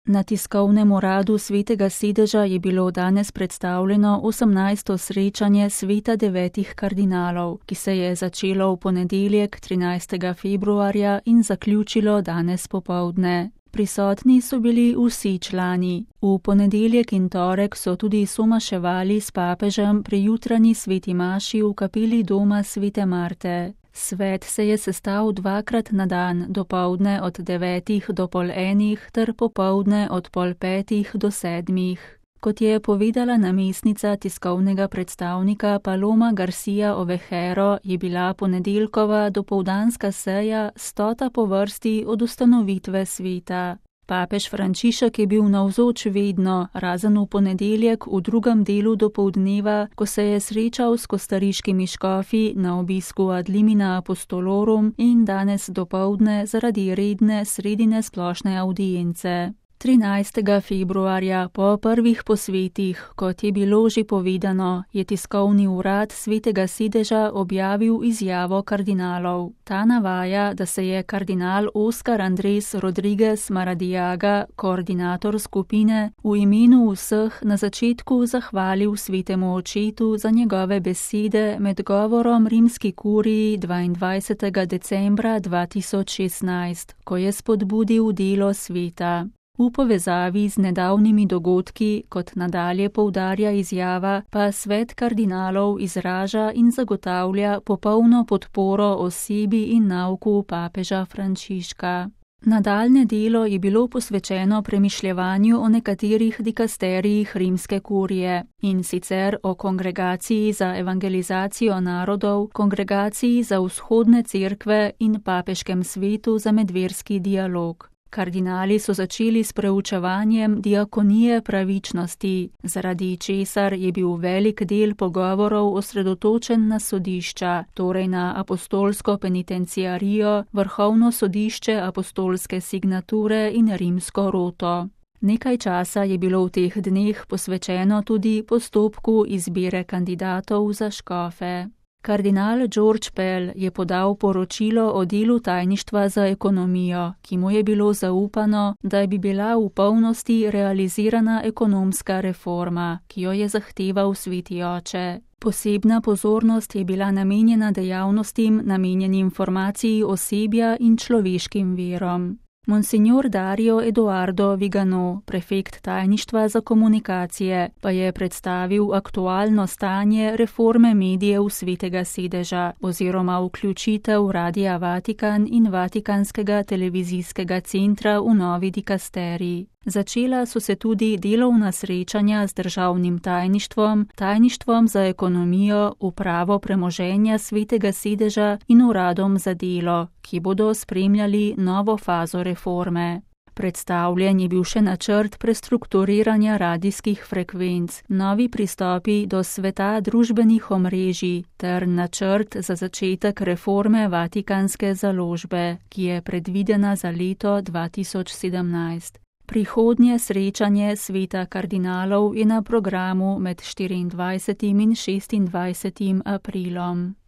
Na tiskovnem uradu Svetega sedeža je bilo danes predstavljeno 18. srečanje Sveta devetih kardinalov, ki se je začelo v ponedeljek 13. februarja in zaključilo danes popoldne. Prisotni so bili vsi člani. V ponedeljek in torek so tudi somaševali s papežem pri jutranji sveti maši v kapeli doma Svete Marte. Svet se je sestal dvakrat na dan, dopoldne od 9 do pol 1 ter popoldne od pol 5 do 7. Kot je povedala namestnica tiskovnega predstavnika Paloma Garcia Ovejero, je bila ponedeljkova dopoldanska seja 100. po vrsti od ustanovitve sveta. Papež Frančišek je bil navzoč vedno, razen v ponedeljek v drugem delu dopoldneva, ko se je srečal s kostariškimi škofi na obisku ad limina apostolorum in danes dopoldne zaradi redne sredine splošne avdience. 13. februarja po prvih posvetih, kot je bilo že povedano, je tiskovni urad Svetega sedeža objavil izjavo kardinalov. Ta navaja, da se je kardinal Oscar Andrés Rodríguez Maradiaga, koordinator skupine, v imenu vseh na začetku zahvalil Svetemu očetu za njegove besede med govorom rimski kuriji 22. decembra 2016, ko je spodbudil delo sveta. V povezavi z nedavnimi dogodki, kot nadalje poudarja izjava, pa svet kardinalov izraža in zagotavlja popolno podporo osebi in nauku papeža Frančiška. Nadaljnje delo je bilo posvečeno premišljevanju o nekaterih dikasterijih rimske kurije, in sicer o kongregaciji za evangelizacijo narodov, kongregaciji za vzhodne cerkve in papeškem svetu za medverski dialog. Kardinali so začeli s preučevanjem diakonije pravičnosti, zaradi česar je bil velik del pogovorov osredotočen na sodišča, torej na apostolsko penitenciarijo, vrhovno sodišče apostolske signature in rimsko roto. Nekaj časa je bilo v teh dneh posvečeno tudi postopku izbire kandidatov za škofe. Kardinal George Pell je podal poročilo o delu tajništva za ekonomijo, ki mu je bilo zaupano, da bi bila v polnosti realizirana ekonomska reforma, ki jo je zahteval Sveti oče. Posebna pozornost je bila namenjena dejavnostim, namenjenim informaciji osebja in človeškim virom. Monsignor Dario Eduardo Vigano, prefekt tajništva za komunikacije, pa je predstavil aktualno stanje reforme medijev Svetega sedeža oziroma vključitev Radia Vatikan in Vatikanskega televizijskega centra v novi dikasterij. Začela so se tudi delovna srečanja z državnim tajništvom, tajništvom za ekonomijo, upravo premoženja Svetega sedeža in uradom za delo, ki bodo spremljali novo fazo reforme. Predstavljen je bil še načrt prestrukturiranja radijskih frekvenc, novi pristopi do sveta družbenih omrežij ter načrt za začetek reforme Vatikanske založbe, ki je predvidena za leto 2017. Prihodnje srečanje sveta kardinalov je na programu med 24. in 26. aprilom.